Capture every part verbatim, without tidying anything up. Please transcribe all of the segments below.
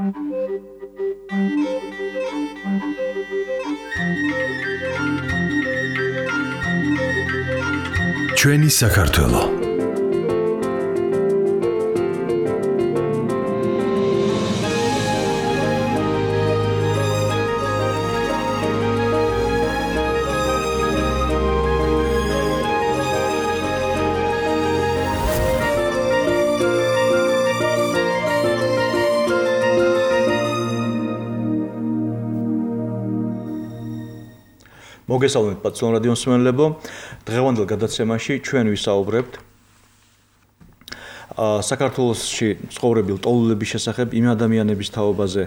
ჩვენი საქართველო მოგესალმებით პატიო რადიო მსმენელებო. დღევანდელ გადაცემაში ჩვენ ვისაუბრებთ საქართველოში ცხოვრებილ ტოლულების შესახებ, იმ ადამიანების თაობაზე,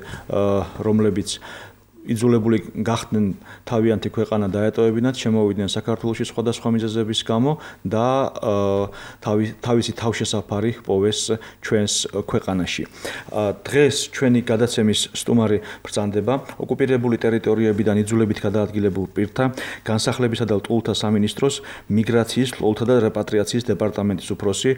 რომლებიც იძულებული გახდნენ თავიანთი ქვეყანა დაეტოვებინათ, შემოვიდნენ საქართველოში სხვადასხვა მიზეზების გამო და თავისი თავშესაფარი პოვეს ჩვენს ქვეყანაში. დღეს ჩვენი გადაცემის სტუმარი ბრძანდება ოკუპირებული ტერიტორიებიდან იძულებით გადაადგილებულ პირთა განსახლებისა და ლტოლთა სამინისტროს მიგრაციის, ლტოლთა და რეპატრიაციის დეპარტამენტის უფროსი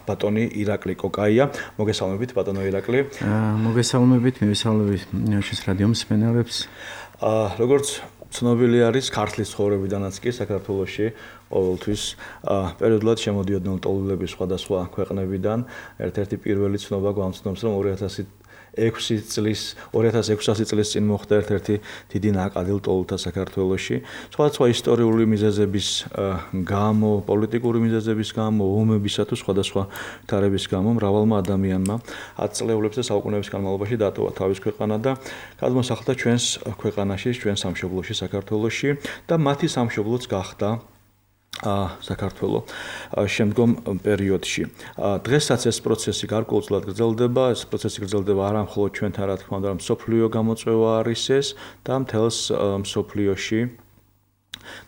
ბატონი ირაკლი კოკაია. მოგესალმებით ბატონო ირაკლი. მოგესალმებით, მივესალმებით ჩვენს რადიო მსმენელებს. როგორც ცნობილი არის, ქართლის ცხოვრებიდანაც კი საქართველოში ყოველთვის პერიოდულად შემოდიოდნენ ლტოლვილები სხვადასხვა ქვეყნებიდან. ერთ-ერთი პირველი ცნობა გვამცნობს, რომ ორი ათასი ექვსი წლის ორი ათას ექვსასი წლის წინ მოხდა ერთ-ერთი დიდი ნაკადი ლტოლთა საქართველოში. სხვადასხვა ისტორიული მიზეზების გამო, პოლიტიკური მიზეზების გამო, ომებისა თუ სხვადასხვა თარების გამო მრავალმა ადამიანმა ათწლეულებს და საუკუნეების განმავლობაში დატოვა თავის ქვეყანა და გადმოსახლდა ჩვენს ქვეყანაში, ჩვენს სამშობლოში, საქართველოში და მათი სამშობლოც გახდა საქართველო შემდგომ პერიოდში. დღესაც ეს პროცესი გარკვეულწილად გრძელდება, ეს პროცესი გრძელდება არა მხოლოდ ჩვენთან, რა თქმა უნდა, რომ მსოფლიო გამოწვევა არის ეს და მთელს მსოფლიოში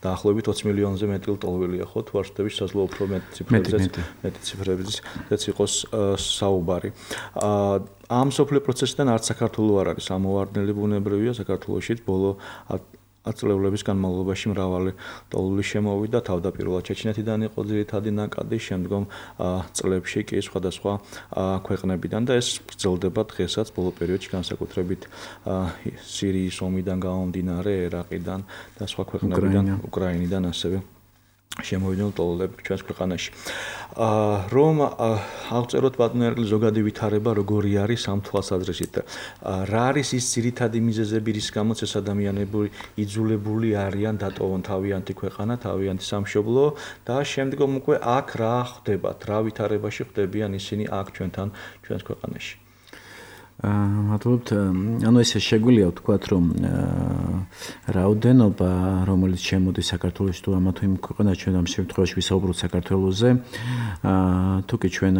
დაახლოებით ოცი მილიონზე მეტი ლტოლვილია, ხო, თუ არ ვშთები, შესაძლოა უფრო მეტი ციფრებზეც, მეტი ციფრებზეც იყოს საუბარი. ამ მსოფლიო პროცესიდან არც საქართველო არ არის ამოვარდნელი, ბუნებრივია, საქართველოშიც ბოლო ათწლეულების განმავლობაში მრავალი ლტოლვილი შემოვიდა, თავდაპირველად ჩეჩნეთიდან იყო ძირითადი ნაკადი, შემდგომ წლებში კი სხვადასხვა ქვეყნებიდან და ეს გრძელდება დღესაც ბოლო პერიოდში, განსაკუთრებით სირიის ომიდან გამომდინარე, ერაყიდან და სხვა ქვეყნებიდან, უკრაინიდან ასევე შემოვიდნენ ლტოლვილები ჩვენს ქვეყანაში. რომ ავწეროთ ბატონო ირაკლი ზოგადი ვითარება როგორი არის ამ თვალსაზრისით. რა არის ის ძირითადი მიზეზები, რის გამოც ეს ადამიანები იძულებული არიან დატოვონ თავიანთი ქვეყანა, თავიანთი სამშობლო და შემდგომ უკვე აქ რა ხდებათ, რა ვითარებაში ხდებიან ისინი აქ ჩვენთან, ჩვენს ქვეყანაში. მადლობთ. ანუ ესე შეგვიძლია ვთქვათ, რომ რაოდენობა, რომელიც შემოდის საქართველოში თუ ამა თუ იმ ქვეყანაში, ჩვენ ამ შემთხვევაში ვისაუბროთ საქართველოზე, თუ კი ჩვენ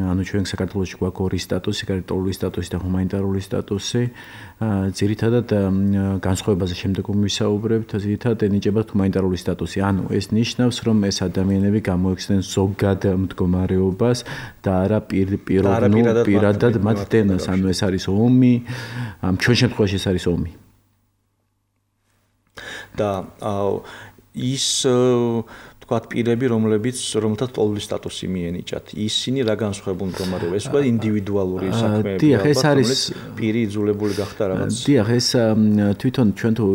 ანუ ჩვენ საქართველოში გვაქვს ორი სტატუსი, გარკვეული სტატუსი და ჰუმანიტარული სტატუსი. ძირითადად განსხვავებაზე შემდეგ ვისაუბრებთ, ძირითადად ენიჭებათ ჰუმანიტარული სტატუსი. ანუ ეს ნიშნავს, რომ ეს ადამიანები გამოიქცნენ ზოგად მდგომარეობას და არა პირდაპირ პირადად მათ დენას, ანუ ეს არის ომი, ჩვენ შემთხვევაში ეს არის ომი. და ის თქვათ პირები, რომლებიც რომელთაც ლტოლვილის სტატუსი მიენიჭათ, ისინი რა განსხვავებულ მდგომარეობა, ეს თქვათ ინდივიდუალური საქმეები, დიახ, ეს არის პირი იძულებული გახდა რაღაც. დიახ, ეს თვითონ ჩვენ თუ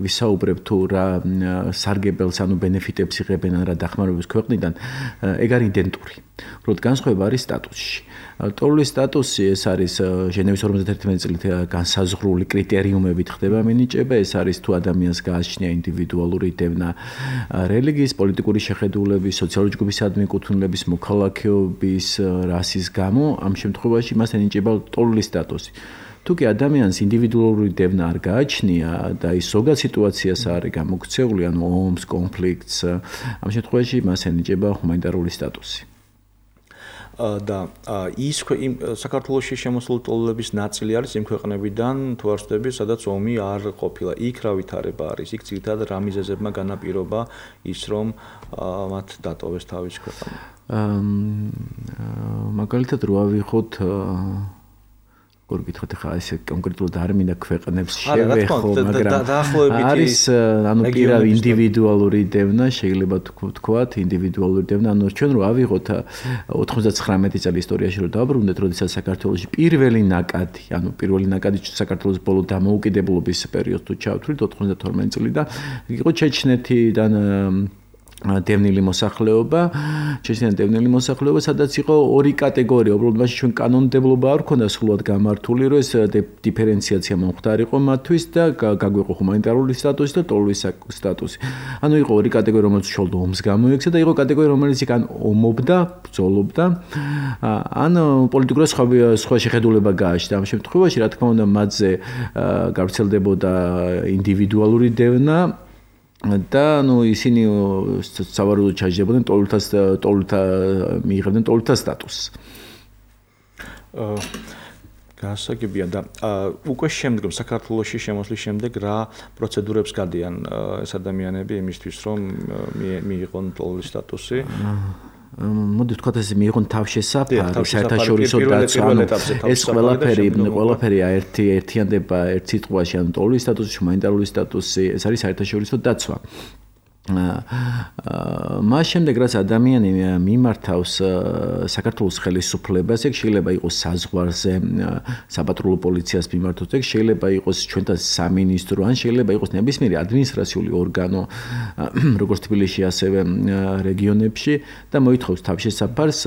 ვისაუბრებთ თუ რა სარგებელს, ანუ ბენეფიტებს იღებენ რა დახმარებებს ქვეყნიდან, ეგ არის იდენტური. უბრალოდ განსხვავება არის სტატუსში. ლტოლვილის სტატუსი ეს არის ჟენევის ორმოცდაერთმეტი წლით განსაზღვრული კრიტერიუმებით ხდება მინიჭება, ეს არის თუ ადამიანს გააჩნია ინდივიდუალური დევნა რელიგიის, პოლიტიკური შეხედულების, სოციალური ჯგუფის ადმიკუთვნილების, მოქალაქეობის, რასის გამო, ამ შემთხვევაში მას ენიჭება ლტოლვილის სტატუსი. თუ კი ადამიანს ინდივიდუალური დევნა არ გააჩნია და ის ზოგად სიტუაციას არის გამოქცეული, ანუ ომს, კონფლიქტს, ამ შემთხვევაში მას ენიჭება ჰუმანიტარული სტატუსი. და ის საქართველოში შემოსული ლტოლვილების ნაწილი არის იმ ქვეყნებიდან, თუ არ ვცდები, სადაც ომი არ ყოფილა. იქ რა ვითარება არის? იქ ძირითადად რა მიზეზებმა განაპირობა ის, რომ მათ დატოვეს თავის ქვეყანა? მაგალითად რო ავიღოთ როგორ გითხოთ ხა ესე კონკრეტულად არ მინდა ქვეყნებს შევეხო, მაგრამ არის ანუ პირავ ინდივიდუალური დევნა, შეიძლება თქვათ, ინდივიდუალური დევნა, ანუ ჩვენ რო ავიღოთ ოთხმოცდათხრამეტი წელი ისტორიაში რო დავბრუნდეთ, როდესაც საქართველოში პირველი ნაკადი, ანუ პირველი ნაკადი საქართველოს ბოლო დამოუკიდებლობის პერიოდს თუ ჩავთვლით ოთხმოცდათორმეტი წლიდან, იყო ჩეჩნეთიდან დევნილი მოსახლეობა, ჩეჩნეთიდან დევნილი მოსახლეობა, სადაც იყო ორი კატეგორია, უბრალოდ მაშინ ჩვენ კანონმდებლობა არ ქონდა სრულად გამართული, რომ ეს დიფერენციაცია მომხდარიყო მათთვის და გაგვიყო ჰუმანიტარული სტატუსი და ტოლვის სტატუსი. ანუ იყო ორი კატეგორია, რომელიც უშუალოდ ომს გამოიქცა და იყო კატეგორია, რომელიც იქ ან ომობდა, ბრძოლობდა, ან პოლიტიკურად სხვა სხვა შეხედულება გააჩნდა. ამ შემთხვევაში, რა თქმა უნდა, მათზე გავრცელდებოდა ინდივიდუალური დევნა და ნუ ისინი სავარაუდოდ ჩაჯდებოდნენ ტოლთა ტოლთა მიიღებდნენ ტოლთა სტატუსს. აა გასაგებია და უკვე შემდგომ საქართველოში შემოსვლის შემდეგ რა პროცედურებს გადიან ეს ადამიანები იმისთვის რომ მიიღონ ტოლვის სტატუსი? მოდი ვთქვათ ესე მიიღონ თავშესაფარი, საერთაშორისო დაცვა, ეს ყველაფერი, ყველაფერი ერთი ერთიანდება ერთ სიტყვაში, ანუ ტოლვის სტატუსი, ჰუმანიტარული სტატუსი, ეს არის საერთაშორისო დაცვა. მას შემდეგ რაც ადამიანი მიმართავს საქართველოს ხელისუფლებას, ეგ შეიძლება იყოს საზღვარზე საპატრულო პოლიციას მიმართოს, ეგ შეიძლება იყოს ჩვენთან სამინისტრო, ან შეიძლება იყოს ნებისმიერი ადმინისტრაციული ორგანო, როგორც თბილისში, ასევე რეგიონებში და მოითხოვს თავშესაფარს,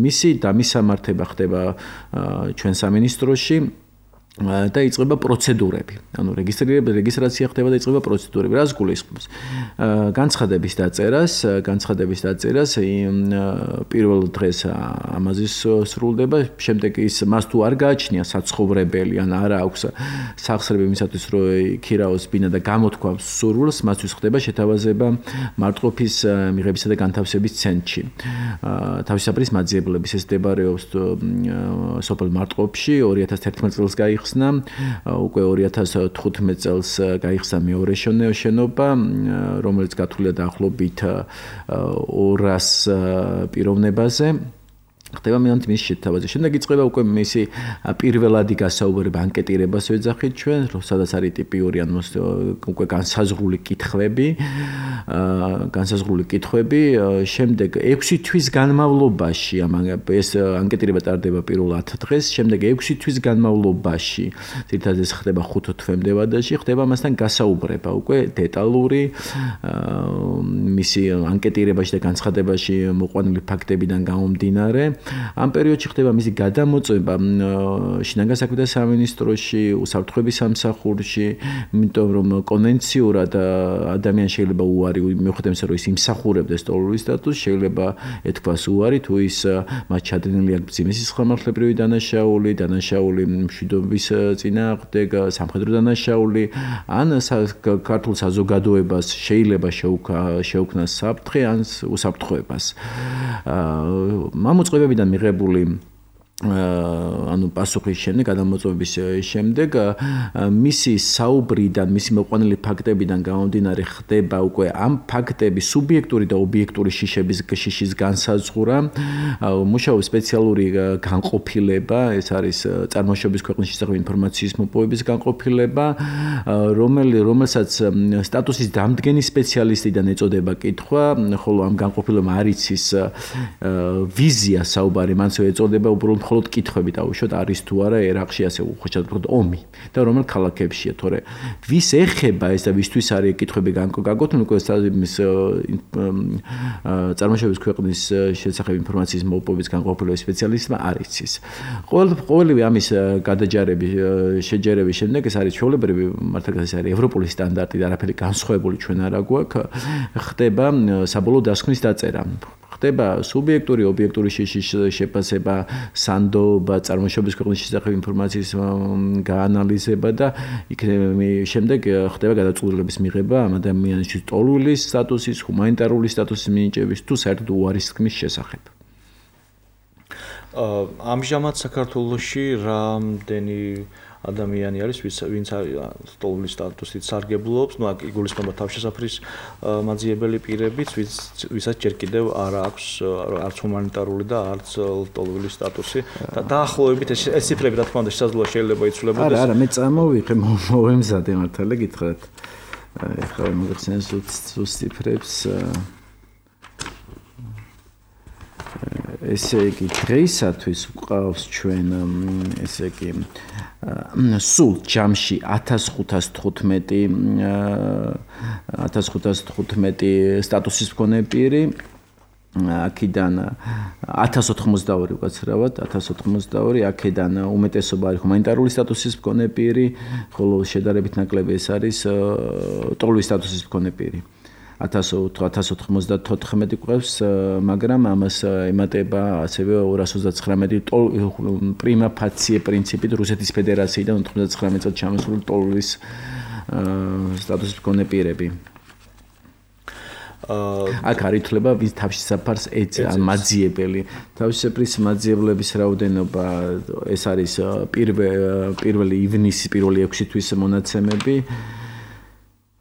მისი დამისამართება ხდება ჩვენ სამინისტროში. და იწყება პროცედურები. ანუ რეგისტრირება, რეგისტრაცია ხდება და იწყება პროცედურები. რას გულისხმობს? განცხადების დაწერას, განცხადების დაწერას პირველ დღეს ამაზე სრულდება, შემდეგ ის მას თუ არ გააჩნია საცხოვრებელი, ან არა აქვს სახსრები იმისათვის, რომ იქირაოს ბინა და გამოთქვამს სურვილს, მათთვის ხდება შეთავაზება მარტყოფის მიღებისა და განთავსების ცენტრში. თავისუფლის მაძიებლების ეს მდებარეობს სოფელ მარტყოფში ორი ათას თერთმეტ წელს გაიხსნა. უკვე ორი ათას თხუთმეტ წელს გაიხსნა მეორე შენობა, რომელიც გათვლილია დაახლოებით ორას პიროვნებაზე. ხდება მიანთ მის შეთავაზება. შემდეგ იწყება უკვე მისი პირველადი გასაუბრება, ანკეტირებას ვეძახით ჩვენ, სადაც არის ტიპიური ან უკვე განსაზღვრული კითხვები, განსაზღვრული კითხვები. შემდეგ ექვსი თვის განმავლობაში, ეს ანკეტირება ტარდება პირველ ათ დღეს, შემდეგ ექვსი თვის განმავლობაში, თითქოს ეს ხდება ხუთ თვემდე ვადაში, ხდება მასთან გასაუბრება, უკვე დეტალური მისი ანკეტირებაში და განცხადებაში მოყვანილი ფაქტებიდან გამომდინარე. ამ პერიოდში ხდება მისი გადამოწმება შინაგან საქმეთა სამინისტროში, უსაფრთხოების სამსახურში, იმიტომ რომ კონვენციურად ადამიანს შეიძლება უარი მიუხედავად იმისა, რომ ის იმსახურებდეს ტოლვის სტატუსს, შეიძლება ეთქვას უარი, თუ ის მათ ჩადენილი აქვს მძიმე სისხლმარხლებრივი დანაშაული, დანაშაული მშვიდობის წინააღმდეგ, სამხედრო დანაშაული, ან ქართულ საზოგადოებას შეიძლება შეუქმნას საფრთხე ან უსაფრთხოებას. მამოწყებებიდან მიღებული ანუ პასუხის შემდეგ, გადამოწმების შემდეგ, მისი საუბრიდან, მისი მოყვანილი ფაქტებიდან გამომდინარე ხდება უკვე ამ ფაქტების სუბიექტური და ობიექტური შიშების შიშის განსაზღვრა, მუშაობს სპეციალური განყოფილება, ეს არის წარმოშობის ქვეყნის შესახებ ინფორმაციის მოპოვების განყოფილება, რომელი რომელსაც სტატუსის დამდგენი სპეციალისტიდან ეწოდება კითხვა, ხოლო ამ განყოფილებამ არ იცის ვიზია საუბარი, მანც ეწოდება უბრალოდ მხოლოდ კითხვები დაუშვათ, არის თუ არა ერაყში ასე უხოჭად ვთქვათ ომი და რომელ ქალაქებშია, თორე ვის ეხება ეს და ვისთვის არის კითხვები გაგოთმული, უკვე ის წარმოშობის ქვეყნის შესახებ ინფორმაციის მოპოვების განყოფილების სპეციალისტმა არ იცის. ყოველივე ამის გადაჯარების შეჯერების შემდეგ ეს არის ჩვეულებრივი, მართლა ეს არის ევროპული სტანდარტი და არაფერი განსხვავებული ჩვენ არ აგვაქვს, ხდება საბოლოო დასკვნის დაწერა. ხდება სუბიექტური, ობიექტური შიშის შეფასება, სანდობა, წარმოშობის ქვეყნის შესახებ ინფორმაციის გაანალიზება და შემდეგ ხდება გადაწყვეტილების მიღება ამ ადამიანის ტოლვის სტატუსის, ჰუმანიტარული სტატუსის მინიჭების თუ საერთოდ უარის თქმის შესახებ. ამჟამად საქართველოში რამდენი ადამიანი არის, ვინც სტოლულის სტატუსით სარგებლობს, ნუ აქ იგულისხმება თავშესაფრის მაძიებელი პირებიც, ვისაც ჯერ კიდევ არ აქვს არც ჰუმანიტარული და არც სტოლულის სტატუსი. და დაახლოებით ეს ციფრები, რა თქმა უნდა, შესაძლოა შეიძლება იცვლებოდეს. არა, არა, მე წამოვიღე, მოვემზადე მართლა გითხრათ. ეხლა მოგეხსენე ზუსტ ციფრებს. ესე იგი, დღეისათვის გვყავს ჩვენ, ესე იგი, სულ ჯამში ათას ხუთას თხუთმეტი ათას ხუთას თხუთმეტი სტატუსის მქონე პირი, აქედან ათას ოთხმოცდაორი უკაცრავად, ათას ოთხმოცდაორი, აქედან უმეტესობა არის ჰუმანიტარული სტატუსის მქონე პირი, ხოლო შედარებით ნაკლები ეს არის ტოლვის სტატუსის მქონე პირი. ათას ოთხმოცდათოთხმეტი გვყავს, მაგრამ ამას ემატება ასევე ორას ოცდათხრამეტი პრიმა ფაცია პრინციპით რუსეთის ფედერაციიდან ოთხმოცდათხრამეტი წელს ჩამოსული ტოლვის სტატუსის მქონე პირები. აქ არ ითვლება ვის თავშესაფარს ეწევა მაძიებელი. თავშესაფრის მაძიებლების რაოდენობა ეს არის პირველი ივნისის პირველი ექვსი თვის მონაცემები.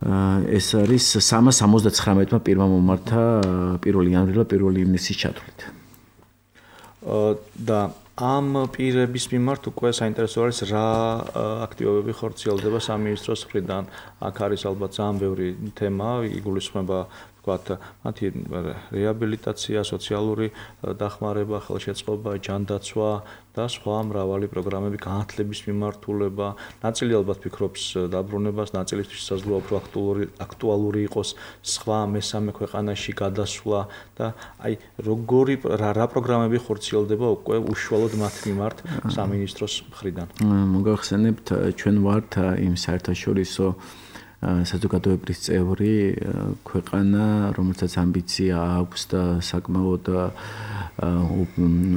ეს არის სამას ორმოცდათხრამეტმა პირმა მომართა პირველი იანვრიდან პირველი ივნისის ჩათვლით. და ამ პირების მიმართ უკვე საინტერესო არის რა აქტივობები ხორციელდება სამინისტროს მხრიდან. აქ არის ალბათ ძალიან ბევრი თემა, იგულისხმება ვთქვათ, მათი რეაბილიტაცია, სოციალური დახმარება, ხელშეწყობა, ჯანდაცვა და სხვა მრავალი პროგრამები, განათლების მიმართულება. ნაწილი ალბათ ფიქრობს დაბრუნებას, ნაწილისთვის შესაძლოა უფრო აქტუალური იყოს სხვა მესამე ქვეყანაში გადასვლა და აი როგორი რა პროგრამები ხორციელდება უკვე უშუალოდ მათ მიმართ სამინისტროს მხრიდან. მოგახსენებთ, ჩვენ ვართ იმ საერთაშორისო საზოგადოებრივი წევრი ქვეყანა, რომელსაც ამბიცია აქვს და საკმაოდ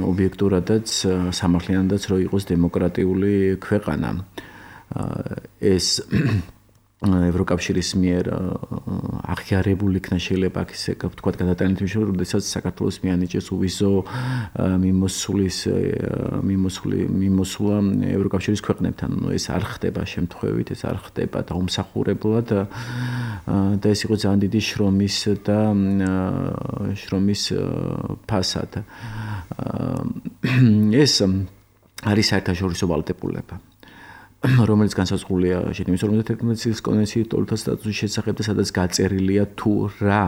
ობიექტურადაც სამართლიანადაც რო იყოს დემოკრატიული ქვეყანა. ეს ევროკავშირის მიერ აღიარებული იქნა შეიძლება აქ ისე ვთქვათ გადატანით მიშორი, როდესაც საქართველოს მიანიჭეს უვიზო მიმოსulis მიმოსული მიმოსულა ევროკავშირის ქვეყნებთან. ეს არ ხდება შემთხვევით, ეს არ ხდება დაუმსახურებლად და ეს იყო ძალიან დიდი შრომის და შრომის ფასად. ეს არის საერთაშორისო ვალდებულება, რომელიც განსაზღვრულია ჟენევის ორმოცდაერთმეტი წლის კონვენციის ტოლთა სტატუსის შესახებ და სადაც გაწერილია თუ რა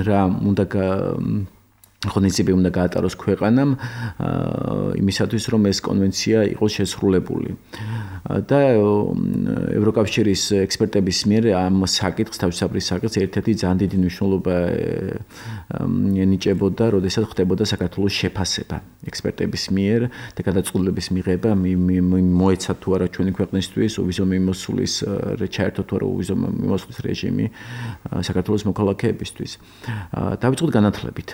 რა უნდა ღონისძიებები უნდა გაატაროს ქვეყანამ იმისათვის რომ ეს კონვენცია იყოს შესრულებული. და ევროკავშირის ექსპერტების მიერ ამ საკითხს, თავშესაფრის საკითხს ერთ-ერთი ძალიან დიდი მნიშვნელობა ენიჭებოდა, როდესაც ხდებოდა საქართველოს შეფასება ექსპერტების მიერ და გადაწყვეტილების მიღება მოეცა თუ არა ჩვენი ქვეყნისთვის უვიზო მიმოსulis ჩაერთო თუ არა უვიზო მიმოსulis რეჟიმი საქართველოს მოქალაქეებისთვის. დავიწყოთ განათლებით.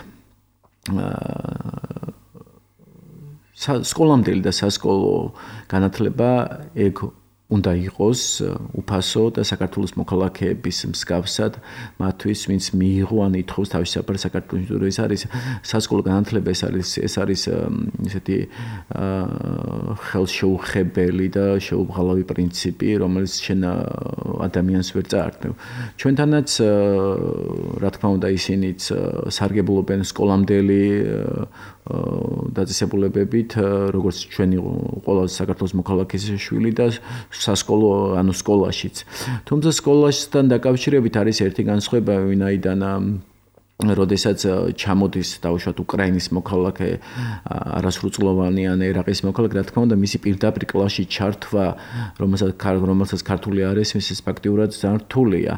სკოლამდელი და სასკოლო განათლება ეგ უნდა იყოს უფასო და საქართველოს მოქალაქეების მსგავსად მათთვის, ვინც მიიღო ან ითხოვს თავშესაფარს საქართველოში. ეს არის სასკოლო განათლება, ეს არის ეს არის ესეთი ხელშეუხებელი და შეუღალავი პრინციპი, რომელიც შენ ადამიანს ვერ წაართმევ. ჩვენთანაც რა თქმა უნდა ისინიც სარგებლობენ სკოლამდელი დაწესებულებებით, როგორც ჩვენი ყველა საქართველოს მოქალაქის შვილი და სასკოლო, ანუ სკოლაშიც. თუმცა სკოლასთან დაკავშირებით არის ერთი განსხვავება, ვინაიდან როდესაც ჩამოდის დაუშვათ უკრაინის მოქალაქე, არასრულწლოვანი ან ერაყის მოქალაქე, რა თქმა უნდა, მისი პირდაპირ კლასში ჩართვა, რომელსაც რომელსაც ქართული არ ესმის, ეს ფაქტიურად ძალიან რთულია.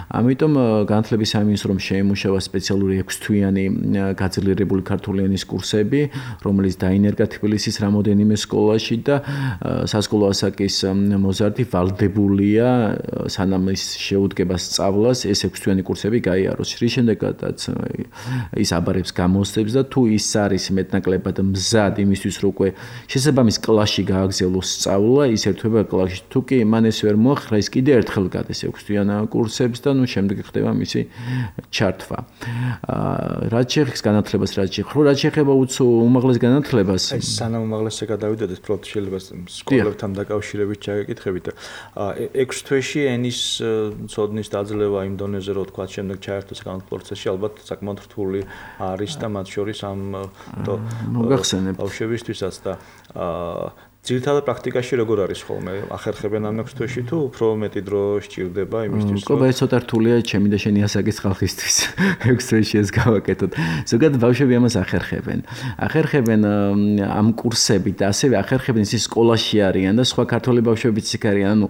ამიტომ განათლების სამინისტრომ შეიმუშავა სპეციალური ექვსთვიანი გაძლიერებული ქართული ენის კურსები, რომელიც დაინერგა თბილისის რამოდენიმე სკოლაში და სასკოლო ასაკის მოზარდი ვალდებულია სანამ ის შეუდგება სწავლას, ეს ექვსთვიანი კურსები გაიაროს. რის შემდეგაც ის აბარებს გამოსცემს და თუ ის არის მეტნაკლებად მზად იმისთვის რომ უკვე შესაბამის კლასში გააგზავნოს სწავლა, ის ერთვება კლასში. თუ კი მან ეს ვერ მოახერხა, ის კიდე ერთხელ გადის ექვსთვიან კურსებს და ნუ შემდეგ ხდება მისი ჩართვა. რაც შეეხება განათლებას, რაც შეეხება, რაც შეეხება უმაღლეს განათლებას. აი სანამ უმაღლესზე გადავიდოდეთ, პრობლემ შეიძლება სკოლებთან დაკავშირებით ჩაგეკითხებით. ექვს თვეში ენის ცოდნის დაძლევა იმ დონეზე, რომ თქვა შემდეგ ჩაერთოს საკანონმდებლო პროცესში, ალბათ საკმაოდ რთული არის და მათ შორის ამ ბავშვებისთვისაც და ძირითადად პრაქტიკაში როგორ არის ხოლმე? ახერხებენ ამ ექვს თვეში თუ უფრო მეტი დრო სჭირდება იმისთვის, რომ ყობა ეს ცოტა რთულია ჩემი და შენი ასაკის ხალხისთვის. ექვს თვეში ეს გავაკეთოთ. ზოგადად ბავშვები ამას ახერხებენ. ახერხებენ ამ კურსებით და ასევე ახერხებენ ისინი სკოლაში არიან და სხვა ქართველი ბავშვებიც იქ არიან. ანუ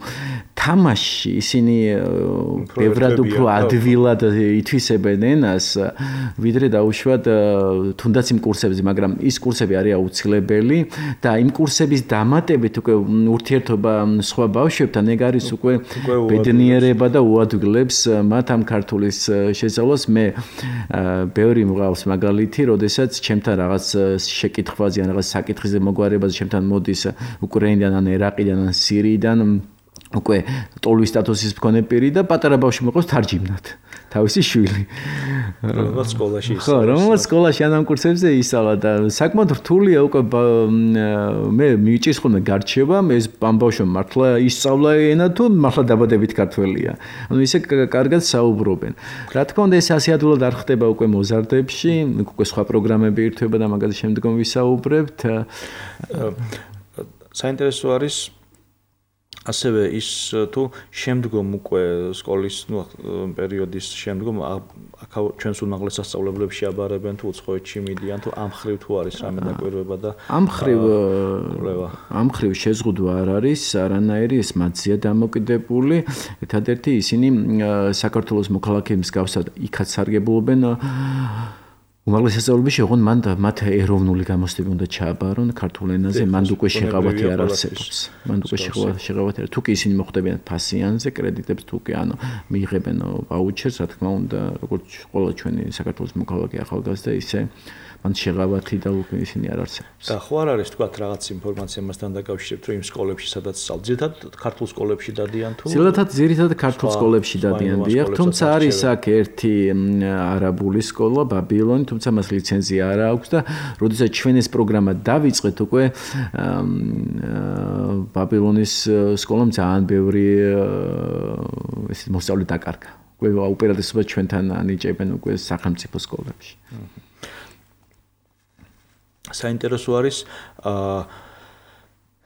თამაში ისინი ბევრად უფრო ადვილად ითვისებენ ენას, ვიდრე დაუშვათ თუნდაც იმ კურსებზე, მაგრამ ის კურსები არის აუცილებელი და იმ კურსების დამატებით უკვე ურთიერთობა სხვა ბავშვებთან ეგ არის უკვე ბედნიერება და უადგილებს მათ ამ ქართულის შესწავლას. მე ბევრი მყავს მაგალითი, როდესაც ჩემთან რაღაც შეკითხვაზე ან რაღაც საკითხზე მოგვარებაზე ჩემთან მოდის უკრაინიდან ან ერაყიდან ან სირიიდან უკვე ტოლვის სტატუსის მქონე პირი და პატარა ბავშვი მოყავს თარჯიმნად. თავისი შვილი. რომელსაც სკოლაში ისწავლა. ხო, რომელსაც სკოლაში ან ამ კურსებზე ისწავლა და საკმაოდ რთულია უკვე მე მიჭირს ხოლმე გარჩევა, ეს ამ ბავშვმა მართლა ისწავლა ენა თუ მართლა დაბადებით ქართველია. ანუ ისე კარგად საუბრობენ. რა თქმა უნდა, ეს ასე ადვილად არ ხდება უკვე მოზარდებში, უკვე სხვა პროგრამები ირთვება და მაგაზე შემდგომ ვისაუბრებთ. საინტერესო არის ასევე ის თუ შემდგომ უკვე სკოლის ნუ პერიოდის შემდგომ ჩვენს უმაღლეს სასწავლებლებში აბარებენ თუ უცხოეთში მიდიან თუ ამ ხრივ თუ არის რამე დაკვირვება და ამ ხრივ ამ ხრივ შეზღუდვა არ არის არანაირი, ეს მათზეა დამოკიდებული. ერთადერთი ისინი საქართველოს მოქალაქეების მსგავსად იქაც სარგებლობენ უმაღლეს სასწავლებლებში, ოღონდ მან მათ ეროვნული გამოცდები უნდა ჩააბარონ ქართულ ენაზე, მანდ უკვე შეღავათი არ არსებობს. მანდ უკვე შეღავათი არ. თუ კი ისინი მოხდებიან ფასიანზე, კრედიტებს თუ კი ანუ მიიღებენ ვაუჩერს, რა თქმა უნდა, როგორც ყველა ჩვენი საქართველოს მოქალაქე ახალგაზრდა, ისე მან შეღავათი და უკვე ისინი არ არსებობს. და ხო არ არის თქვა რაღაც ინფორმაცია მასთან დაკავშირებით, რომ იმ სკოლებში სადაც სწავლ, ძირითადად ქართულ სკოლებში დადიან თუ? ძირითადად ძირითადად ქართულ სკოლებში დადიან, დიახ, თუმცა არის აქ ერთი არაბული სკოლა, ბაბილონი, თუმცა მას ლიცენზია არ აქვს და როდესაც ჩვენ ეს პროგრამა დავიწყეთ უკვე ბაბილონის სკოლამ ძალიან ბევრი ესე მოსწავლე დაკარგა. უკვე უპირატესობა ჩვენთან ანიჭებენ უკვე სახელმწიფო სკოლებში. საინტერესო არის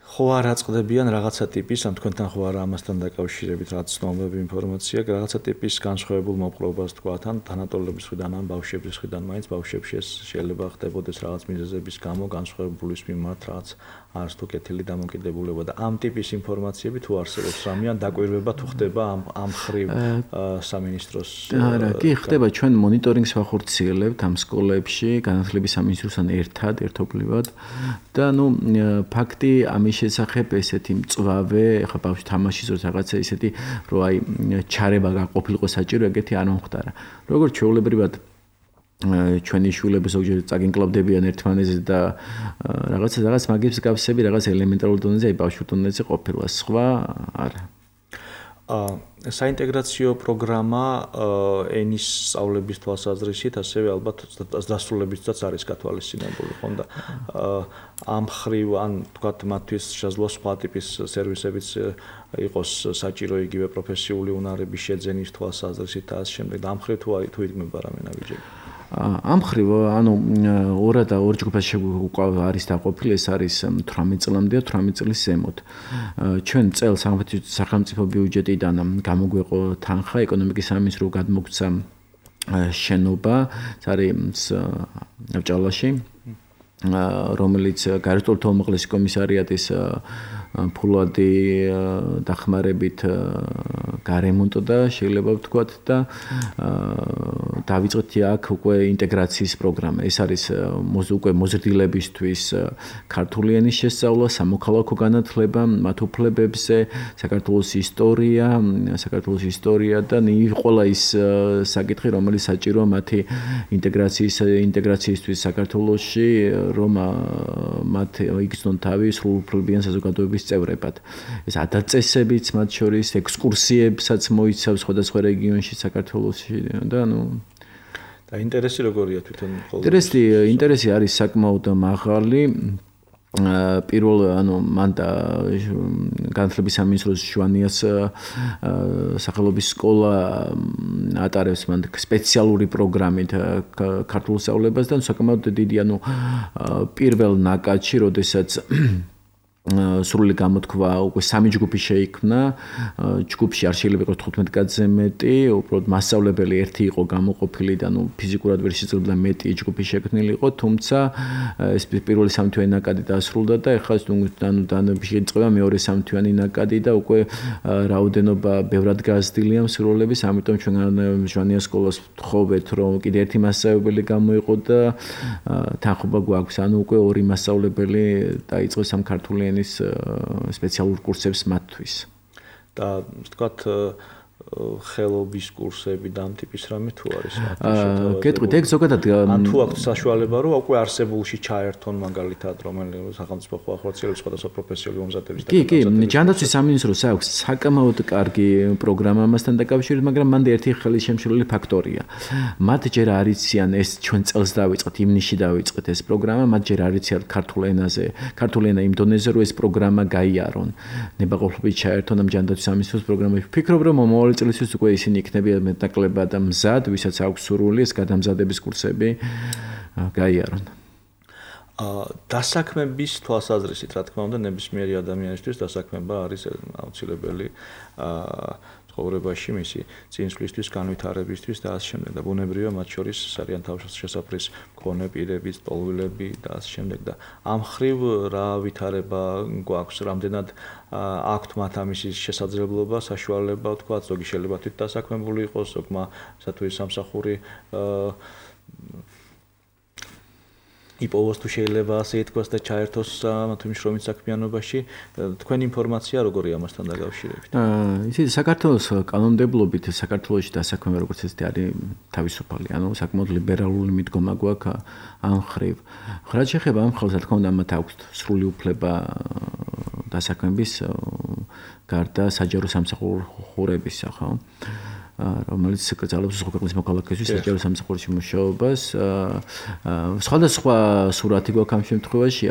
ხო არ აწყდებიან რაღაცა ტიპის, ან თქვენთან ხო არა ამასთან დაკავშირებით რაღაც ცნობები ინფორმაცია, რაღაცა ტიპის განსხვავებულ მოპყრობას თქვა თან თანატოლების მხრიდან ან ბავშვების მხრიდან, მაინც ბავშვებში ეს შეიძლება ხდებოდეს რაღაც მიზეზების გამო განსხვავებულის მიმართ რაღაც არც თუ კეთილი დამოკიდებულება და ამ ტიპის ინფორმაციები თუ არსებობს რამე ან დაკვირვება თუ ხდება ამ ამ ხრივ სამინისტროს. არა, კი ხდება, ჩვენ მონიტორინგს ვახორციელებთ ამ სკოლებში, განათლების სამინისტროსთან ერთად, ერთობლივად და ნუ ფაქტი ამის შესახებ ესეთი მწვავე, ეხლა ბავშვი თამაშის დროს რაღაცა ისეთი, რომ აი ჩარება გაყოფილიყო საჭირო, ეგეთი არ მომხდარა. როგორც ჩვეულებრივად ჩვენი შვილები ზოგჯერ წაგინკლავდებიან ერთმანეთზე და რაღაცა რაღაც მაგის გაფსები რაღაც ელემენტარულ დონეზე, აი ბავშვურ დონეზე ყოფილა, სხვა არა. აა საინტეგრაციო პროგრამა ენის სწავლების თვალსაზრისით ასევე ალბათ დასრულებითაც არის გათვალისწინებული, ხო და ამ ხრივ ან თქვათ მათთვის შესაძლოა სხვა ტიპის სერვისებიც იყოს საჭირო იგივე პროფესიული უნარების შეძენის თვალსაზრისით და ამ შემდეგ და ამ ხრივ თუ თუ იდგმება რამე ნაბიჯები. ამ ხრივ ანუ ორ და ორ ჯგუფაში არის დაყოფილი, ეს არის თვრამეტ წლამდე და თვრამეტ წლის ზემოთ. ჩვენ წელს სახელმწიფო ბიუჯეტიდან გამოგვეყო თანხა ეკონომიკის სამინისტროს გადმოგცა შენობა, ეს არის ჭალაში, რომელიც გარკვეულთა უმაღლესი კომისარიატის ფულადი დახმარებით გარემონტდა, შეიძლება ვთქვათ და დავიწყეთ აქ უკვე ინტეგრაციის პროგრამა. ეს არის უკვე მოზრდილებისთვის ქართული ენის შესწავლა, სამოქალაქო განათლება, მათ უფლებებზე, საქართველოს ისტორია, საქართველოს ისტორია და ყველა ის საკითხი, რომელიც საჭიროა მათი ინტეგრაციის ინტეგრაციისთვის საქართველოში, რომ მათ იგრძნონ თავი სრულუფლებიან საზოგადოების წევრებად. ეს ადაწესებიც მათ შორის ექსკურსიებსაც მოიცავს სხვადასხვა რეგიონში საქართველოში და ნუ და ინტერესი როგორია თვითონ ყოველ ინტერესი ინტერესი არის საკმაოდ მაღალი პირველ ანუ მან და განათლების სამინისტროს შვანიას სახელობის სკოლა ატარებს მან სპეციალური პროგრამით ქართულ სწავლებას და საკმაოდ დიდი ანუ პირველ ნაკადში, როდესაც სრული გამოთქვა უკვე სამი ჯგუფი შეიქმნა, ჯგუფში არ შეიძლება იყოს თხუთმეტი კაცზე მეტი, უბრალოდ მასწავლებელი ერთი იყო გამოყოფილი და ნუ ფიზიკურად ვერ შეიძლება მეტი ჯგუფი შექმნილი იყო, თუმცა ეს პირველი სამთვიანი ნაკადი დასრულდა და ეხლა ანუ დაიწყება მეორე სამთვიანი ნაკადი და უკვე რაოდენობა ბევრად გაზრდილია მსურველების, ამიტომ ჩვენ ჟვანიას სკოლას ვთხოვეთ, რომ კიდე ერთი მასწავლებელი გამოიყო და თანხმობა გვაქვს, ანუ უკვე ორი მასწავლებელი დაიწყოს ამ ქართული ენის სპეციალურ კურსებს მათთვის. და ვთქვათ ხელობის კურსები და ამ ტიპის რამე თუ არის? გეტყვით, ეგ ზოგადად ან თუ აქვს საშუალება, რომ უკვე არსებულში ჩაერთონ მაგალითად, რომელიც სახელმწიფო ხალხმრაცელების სხვადასხვა პროფესიული მომზადების და კი, კი, ჯანდაცვის სამინისტროს აქვს საკმაოდ კარგი პროგრამა ამასთან დაკავშირებით, მაგრამ მანდ ერთი ხელის შემშლელი ფაქტორია. მათ ჯერ არ იციან ეს ჩვენ წელს დავიწყეთ, ივნისში დავიწყეთ ეს პროგრამა, მათ ჯერ არ იციან ქართულ ენაზე, ქართული ენა იმ დონეზე, რომ ეს პროგრამა გაიარონ. ნებაყოფლობით ჩაერთონ ამ ჯანდაცვის სამინისტროს პროგრამაში. ვფიქრობ, რომ მომავალი წელისთვის უკვე ისინი იქნებიან მეტნაკლებად მსად, ვისაც აქვს სურვილი ეს გადამზადების კურსები გაიარონ. დასაქმების თვალსაზრისით, რა თქმა უნდა, ნებისმიერი ადამიანისთვის დასაქმება არის აუცილებელი ცხოვრებაში მისი წინსვლისთვის, განვითარებისთვის და ასე შემდეგ. და ბუნებრივია მათ შორის არიან თავშესაფრის მქონე პირები, ტოლვილები და ასე შემდეგ. და ამ ხრივ რა ვითარება გვაქვს, რამდენად აქვთ მათ ამის შესაძლებლობა, საშუალება, თქვა, ზოგი შეიძლება თვით დასაქმებული იყოს, ზოგმა სათვის სამსახური იპოვოს თუ შეიძლება ასე ითქვას და ჩაერთოს მათ მშრომით საქმიანობაში. თქვენი ინფორმაცია როგორია ამასთან დაკავშირებით? ისე საქართველოს კანონმდებლობით საქართველოში დასაქმება როგორც ესეთი არის თავისუფალი, ანუ საკმაოდ ლიბერალური მიდგომა გვაქვს ამ ხრივ. რაც შეეხება ამ ხალხს, რა თქმა უნდა, მათ აქვს სრული უფლება დასაქმების გარდა საჯარო სამსახურებისა, ხო? რომელიც კრძალავს სხვა ქვეყნის მოქალაქეების საჯარო სამსახურში მუშაობას. სხვადასხვა სურათი გვაქვს ამ შემთხვევაში.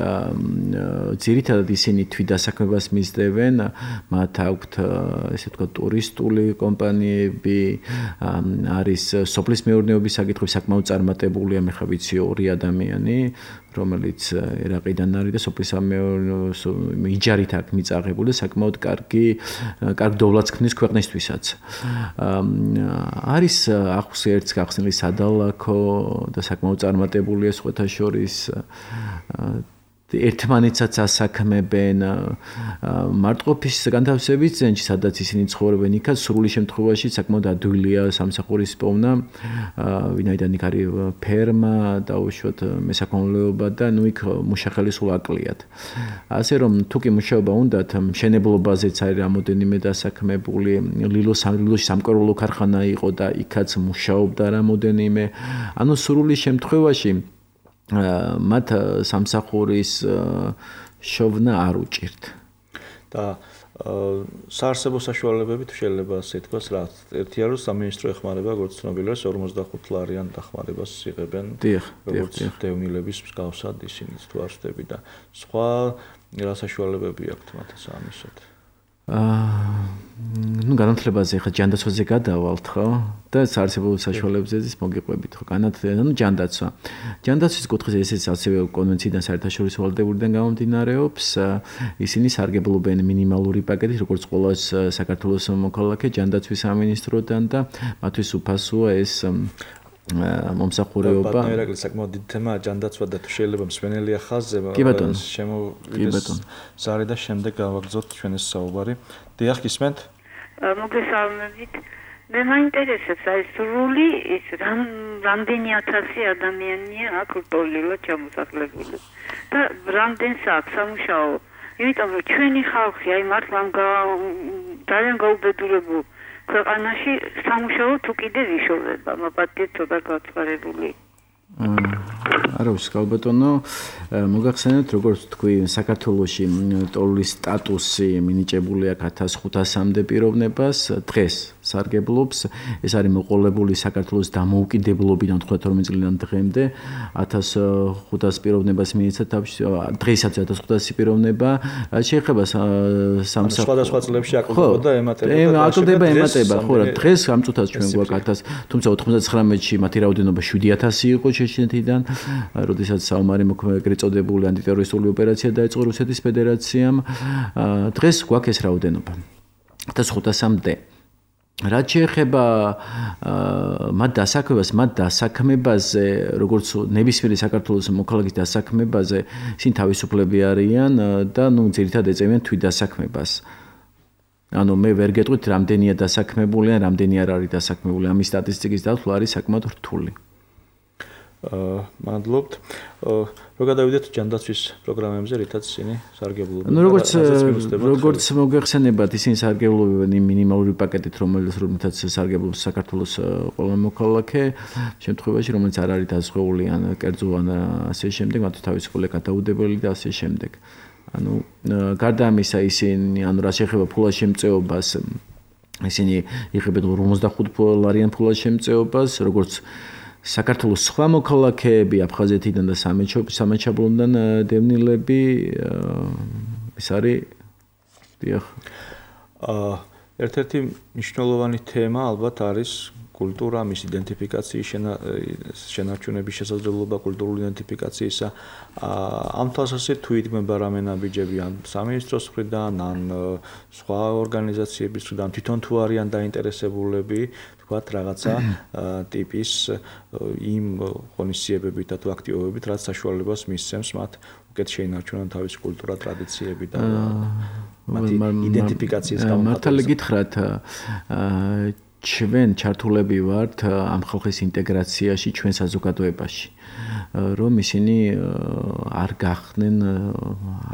ძირითადად ისინი თვითდასაქმებას მისდევენ, მათ აქვთ ესე ვთქვათ ტურისტული კომპანიები, არის სოფლის მეურნეობის საკითხები საკმაოდ წარმატებულია, მე ხა ვიცი ორი ადამიანი, რომელიც ერაყიდან არის და სოფლის მეურნეობის იჯარით აქვს მიწაღებული, საკმაოდ კარგი კარგ დოვლათს ქმნის ქვეყნისთვისაც. არის ახს ერთს გახსნილი სადალაქო და საკმაოდ წარმატებულია სხვათა შორის ერთმანეთსაც ასაქმებენ მარტყოფის განთავსების ცენტრში, სადაც ისინი ცხოვრობენ, იქაც სრული შემთხვევაში საკმაოდ ადვილია სამსახურის პოვნა, ვინაიდან იქ არის ფერმა, დაუშვათ მესაქონლეობა და ნუ იქ მუშახელი სულ აკლიათ. ასე რომ თუ კი მუშაობა უნდათ, მშენებლობაზეც არის რამოდენიმე დასაქმებული, ლილოს ლილოში სამკერვალო ქარხანა იყო და იქაც მუშაობდა რამოდენიმე. ანუ სრული შემთხვევაში მათ სამსახურის შოვნა არ უჭირთ. და საარსებო საშუალებები თუ შეიძლება ასე ითქვას, რა ერთია რომ სამინისტრო ეხმარება, როგორც ცნობილია, ორმოცდახუთ ლარიან დახმარებას იღებენ, როგორც დევნილების მსგავსად ისინიც თუ არ ვსდები და სხვა რა საშუალებები აქვთ მათ ამისოთ? აა ну განათლებაზე ხა ჯანდაცვაზე გადავალთ ხო და საარსებო საშუალებებზე მოგიყვებით ხო განათლება ну ჯანდაცვა ჯანდაცვის კუთხეზე ესეც ასევე კონვენციიდან საერთაშორისო ვალდებულიდან გამომდინარეობს ისინი სარგებლობენ მინიმალური პაკეტით როგორც ყველა საქართველოს მოქალაქე ჯანდაცვის სამინისტროდან და მათთვის უფასოა ეს მომსახურეობა. ბატონო, საკმაოდ დიდი თემაა ჯანდაცვა და თუ შეიძლება მსვენელია ხაზზე შემოვიდეს ზარი და შემდეგ გავაგრძოთ ჩვენ ეს საუბარი. დიახ, გისმენთ? მოგესალმებით. მე მაინტერესებს აი სრული ის რამდენი ათასი ადამიანია აქ რტოლილად ჩამოსახლებული და რამდენს აქვს სამუშაო. იმიტომ რომ ჩვენი ხალხი აი მართლა ძალიან გაუბედურებულ ქვეყანაში სამუშაო თუ კიდე ვიშოვება, მაპატიეთ ცოტა გაცხარებული. არა ვსკავ ბატონო, მოგახსენეთ როგორც თქვი საქართველოში ტოლვის სტატუსი მინიჭებული აქვს ათას ხუთასამდე პიროვნებას, დღეს სარგებლობს, ეს არის მოყოლებული საქართველოს დამოუკიდებლობიდან თხუთმეტ წლიდან დღემდე ათას ხუთას პიროვნებას მიეცა თავში, დღესაც ათას ხუთასი პიროვნება, შეეხება სამსახურს. სხვადასხვა წლებში აკლდებოდა, ემატებოდა. აკლდება, ემატება, ხო რა, დღეს ამ წუთას ჩვენ გვაქვს ათას, თუმცა ოთხმოცდათხრამეტში მათი რაოდენობა შვიდი ათასი იყო ჩეჩნეთიდან, როდესაც საომარი ეგრეთ წოდებული ანტიტერორისტული ოპერაცია დაიწყო რუსეთის ფედერაციამ. დღეს გვაქვს ეს რაოდენობა. ათას ხუთასამდე. რაც შეეხება მათ დასაქმებას, მათ დასაქმებაზე, როგორც ნებისმიერი საქართველოს მოქალაქის დასაქმებაზე, ისინი თავისუფლები არიან და ნუ ძირითადად ეწევიან თვითდასაქმებას. ანუ მე ვერ გეტყვით რამდენია დასაქმებული ან რამდენი არ არის დასაქმებული. ამის სტატისტიკის დათვლა არის საკმაოდ რთული. აა მადლობთ. რო გადავიდეთ ჯანდაცვის პროგრამებზე, რითაც ისინი სარგებლობენ. ნუ როგორც როგორც მოგეხსენებათ, ისინი სარგებლობენ იმ მინიმალური პაკეტით, რომელიც რომელთაც სარგებლობს საქართველოს ყველა მოქალაქე, შემთხვევაში რომელიც არ არის დასხეული ან კერძო ან ასე შემდეგ, მათ თავისუფლება გადაუდებელი და ასე შემდეგ. ანუ გარდა ამისა, ისინი ანუ რა შეეხება ფულას შემწეობას, ისინი იღებენ ორმოცდახუთ დოლარიან ფულას შემწეობას, როგორც საქართველოს სხვა მოქალაქეები აფხაზეთიდან და სამეჩაბლოდან დევნილები ეს არის დიახ. აა ერთ-ერთი მნიშვნელოვანი თემა ალბათ არის კულტურა, მის იდენტიფიკაციის შენარჩუნების შესაძლებლობა, კულტურული იდენტიფიკაციისა. ამ თვალსაზრისით თუ იდგმება რამე ნაბიჯები ან სამინისტროს მხრიდან, ან სხვა ორგანიზაციების მხრიდან, თვითონ თუ არიან დაინტერესებულები, თქვათ რაღაცა ტიპის იმ ღონისძიებებით და თუ აქტივობებით, რაც საშუალებას მისცემს მათ უკეთ შეინარჩუნონ თავისი კულტურა, ტრადიციები და მათი იდენტიფიკაციის გამო. მართალი გითხრათ, ჩვენ ჩართულები ვართ ამ ხალხის ინტეგრაციაში ჩვენ საზოგადოებაში, რომ ისინი არ გახდნენ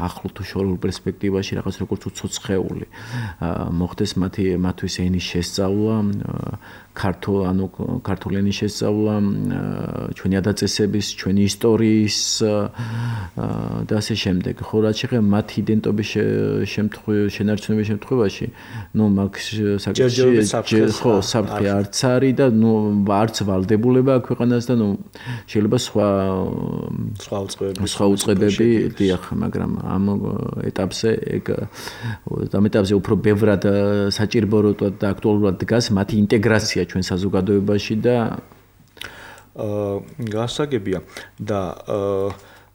ახლო თუ შორეულ პერსპექტივაში რაღაც როგორც უცოცხლეული. მოხდეს მათი მათთვის ენის შესწავლა, ქართულ ანუ ქართული ენის შესწავლა, ჩვენი ადაწესების, ჩვენი ისტორიის და ასე შემდეგ. ხო, რაც შეეხება მათი იდენტობის შემთხვევაში, შენარჩუნების შემთხვევაში, ნუ მაგ საკითხი ხო საფრთხე არც არის და ნუ არც ვალდებულება აქვს ქვეყანას და ნუ შეიძლება სხვა სხვა უწყებები სხვა უწყებები დიახ, მაგრამ ამ ეტაპზე ეგ ამ ეტაპზე უფრო ბევრად საჭიროა და აქტუალურად დგას მათი ინტეგრაცია ჩვენ საზოგადოებაში და აა გასაგებია და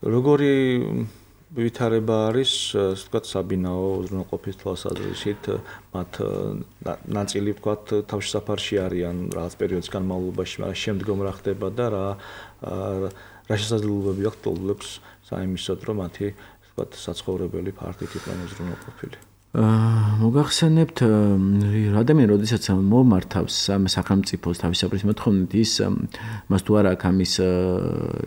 როგორი ვითარება არის, ვთქვათ, საბინაო უზრუნველყოფის თვალსაზრისით, მათ ნაწილი ვთქვათ, თავშესაფარში არიან რაღაც პერიოდის განმავლობაში, მაგრამ შემდგომ რა ხდება და რა რა შესაძლებლობები აქვს ტოლებს საიმისოდ, რომ მათი ვთქვათ, საცხოვრებელი ფართით იყვნენ უზრუნველყოფილი. მოგახსენებთ, ადამიანი როდესაც მომართავს სახელმწიფოს თავისუფლების მოთხოვნით, ის მას თუ არ აქვს ამის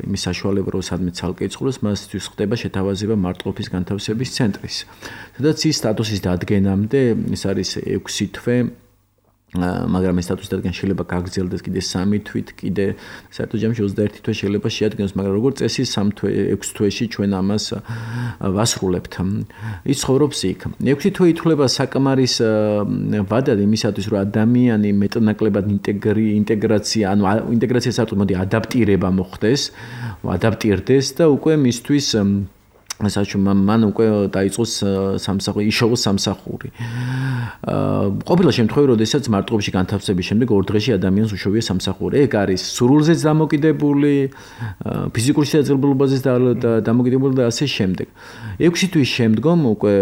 იმის საშუალება, რომ სადმე ცალკე იცხოვროს, მასთვის ხდება შეთავაზება მარტყოფის განთავსების ცენტრის. სადაც ის სტატუსის დადგენამდე, ეს არის ექვსი თვე, მაგრამ ეს სტატუსის დადგენა შეიძლება გაგრძელდეს კიდე სამი თვით, კიდე საერთო ჯამში ოცდაერთი თვე შეიძლება შეადგენოს, მაგრამ როგორც წესი სამი თვე, ექვსი თვეში ჩვენ ამას ვასრულებთ. ის ცხოვრობს იქ. ექვსი თვე ითვლება საკმარის ვადად იმისათვის, რომ ადამიანი მეტნაკლებად ინტეგრაცია, ანუ ინტეგრაცია საერთოდ მოდი ადაპტირება მოხდეს, ადაპტირდეს და უკვე მისთვის საჩუმ მან უკვე დაიწყოს სამსახური, იშოვოს სამსახური. ყოფილა შემთხვევები, როდესაც მარტოებში განთავსების შემდეგ ორ დღეში ადამიანს უშოვია სამსახური. ეგ არის სურვილზეც დამოკიდებული, ფიზიკურ შესაძლებლობაზეც დამოკიდებული და ასე შემდეგ. ექვსი თვის შემდგომ უკვე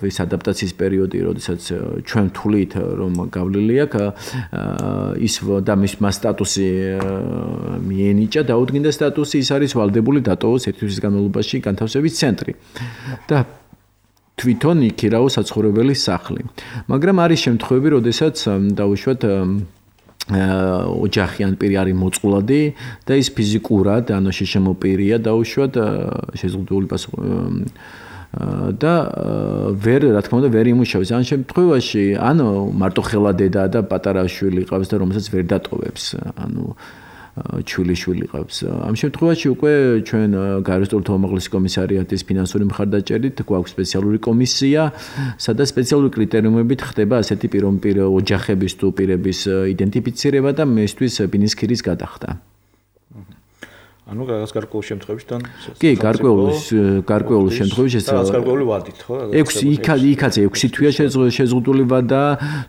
ეს ადაპტაციის პერიოდი, როდესაც ჩვენ თვლით, რომ გავლილი აქვს ის და მას სტატუსი მიენიჭა, დაუდგინდა სტატუსი, ის არის ვალდებული დატოვოს ერთი თვის განმავლობაში განთავსების ცენტრი. და თვითონ იქირაოს საცხოვრებელი სახლი. მაგრამ არის შემთხვევები, როდესაც დაუშვათ ოჯახი ან პირი არის მოწყვლადი და ის ფიზიკურად ანუ შეშემოპირია დაუშვათ შეზღუდული პასუხი და ვერ რა თქმა უნდა ვერ იმუშავებს. ამ შემთხვევაში ან მარტო ხელა დედა და პატარა შვილი ყავს და რომელსაც ვერ დატოვებს. ანუ ჩვილი-შვილი ყავს. ამ შემთხვევაში უკვე ჩვენ გაეროს სტруქტურთა უმაღლესი კომისარიატის ფინანსური მხარდაჭერით გვაქვს სპეციალური კომისია, სადაც სპეციალური კრიტერიუმებით ხდება ასეთი პიროვნების ოჯახების თუ პირების იდენტიფიცირება და მისთვის ბინისქირის გადახდა. ანუ რაღაც გარკვეულ შემთხვევებიდან კი, გარკვეულ გარკვეულ შემთხვევებში ეს რაღაც გარკვეული ვადით, ხო? ექვსი იქაც ექვსი თვეა შეზღუდული ვადა,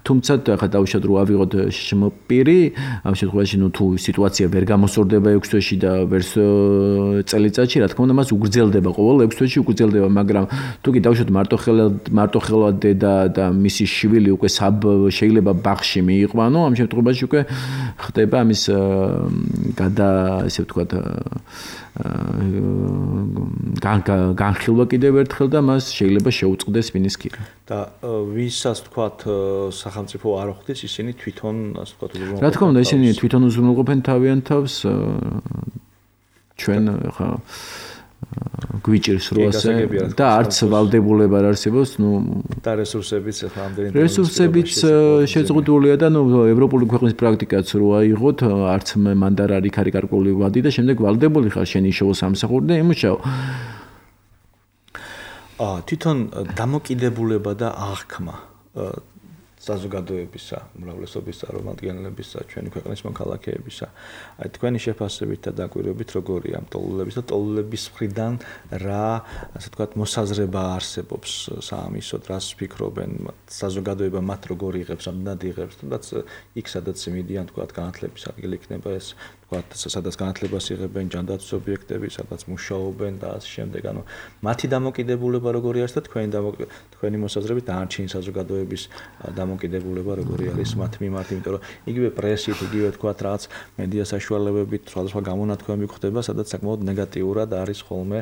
თუმცა ახლა დავუშვათ რომ ავიღოთ შემოპირი, ამ შემთხვევაში ნუ თუ სიტუაცია ვერ გამოსწორდება ექვსი თვეში და ვერს წელიწადში, რა თქმა უნდა, მას უგრძელდება ყოველ ექვსი თვეში უგრძელდება, მაგრამ თუ კი დავუშვათ მარტოხელა მარტოხელა დედა და მისი შვილი უკვე შეიძლება ბაღში მიიყვანო, ამ შემთხვევაში უკვე ხდება ამის გადა ესე ვთქვათ განხილვა კიდევ ერთხელ და მას შეიძლება შეუწყდეს ბინისქირი. და ვისაც თქვათ სახელმწიფო არ ხვდეს, ისინი თვითონ ასე ვთქვათ უზრუნველყოფენ. რა თქმა უნდა, ისინი თვითონ უზრუნველყოფენ თავიანთ თავს ჩვენ ხა გვიჭირს რო ასე და არც ვალდებულება არ არსებობს, ნუ და რესურსებიც ხა ამდენი რესურსებიც შეზღუდულია და ნუ ევროპული ქვეყნის პრაქტიკაც რო აიღოთ, არც მან და არ იქ არის გარკვეული ვადი და შემდეგ ვალდებული ხარ შენ იშოვო სამსახური და იმუშაო. აა თვითონ დამოკიდებულება და აღქმა საზოგადოებისა, უმრავლესობის წარმომადგენლებისა, ჩვენი ქვეყნის მოქალაქეებისა. აი თქვენი შეფასებით და დაკვირვებით როგორია ამ ტოლულების და ტოლულების მხრიდან რა, ასე ვთქვათ, მოსაზრება არსებობს საამისოდ, რას ფიქრობენ საზოგადოება მათ როგორ იღებს, ამდენად იღებს, თუნდაც იქ სადაც მიდიან ვთქვათ განათლების ადგილი იქნება ეს ვთქვათ, სადაც განათლებას იღებენ ჯანდაცვის ობიექტები, სადაც მუშაობენ და ასე შემდეგ. ანუ მათი დამოკიდებულება როგორი არის და თქვენი თქვენი მოსაზრებით დანარჩენი საზოგადოების დამოკიდებულება როგორი არის მათ მიმართ, იმიტომ რომ იგივე პრესით, იგივე ვთქვათ, რაღაც მედია საშუალებებით სხვადასხვა გამონათქვამები ხდება, სადაც საკმაოდ ნეგატიურად არის ხოლმე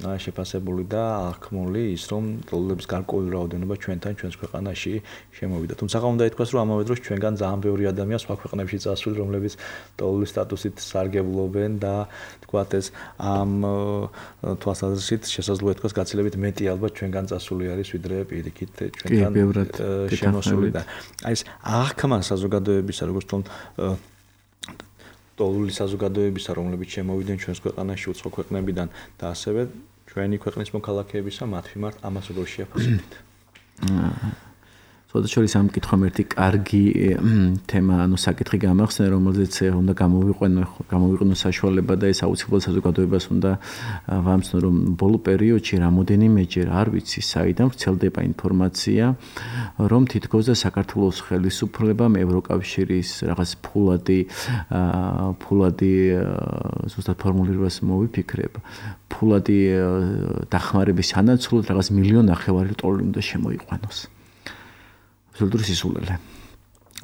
შეფასებული და აღქმული ის, რომ ტოლულების გარკვეული რაოდენობა ჩვენთან ჩვენს ქვეყანაში შემოვიდა. თუმცა უნდა ითქვას, რომ ამავე დროს ჩვენგან ძალიან ბევრი ადამია სხვა ქვეყნებში წასული, რომლებიც ტოლულის სტატუსით სარგებლობენ და ვთქვათ ეს ამ თვალსაზრისით შესაძლოა ითქვას გაცილებით მეტი ალბათ ჩვენგან წასული არის, ვიდრე პირიქით ჩვენგან შემოსული და აი ეს აღქმა საზოგადოებისა, როგორც თქო ტოლული საზოგადოებისა, რომლებიც შემოვიდნენ ჩვენს ქვეყანაში უცხო ქვეყნებიდან და ასევე ჩვენი ქვეყნის მოქალაქეებისა, მათ მიმართ ამას როგორ შეაფასებთ? სოდაშორის ამ კითხვამ ერთი კარგი თემა, ანუ საკითხი გამახსენე, რომელზეც უნდა გამოვიყვანო, გამოვიყვანო საშუალება და ეს აუცილებლად საზოგადოებას უნდა ვამცნო, რომ ბოლო პერიოდში რამოდენიმეჯერ არ ვიცი, საიდან ვრცელდება ინფორმაცია, რომ თითქოს და საქართველოს ხელისუფლებამ ევროკავშირის რაღაც ფულადი ფულადი ზუსტად ფორმულირებას მოვიფიქრებ, ფულადი დახმარების ანაცვლოდ რაღაც მილიონ ნახევარი ტოლი უნდა შემოიყვანოს. აბსოლუტური სისულელე.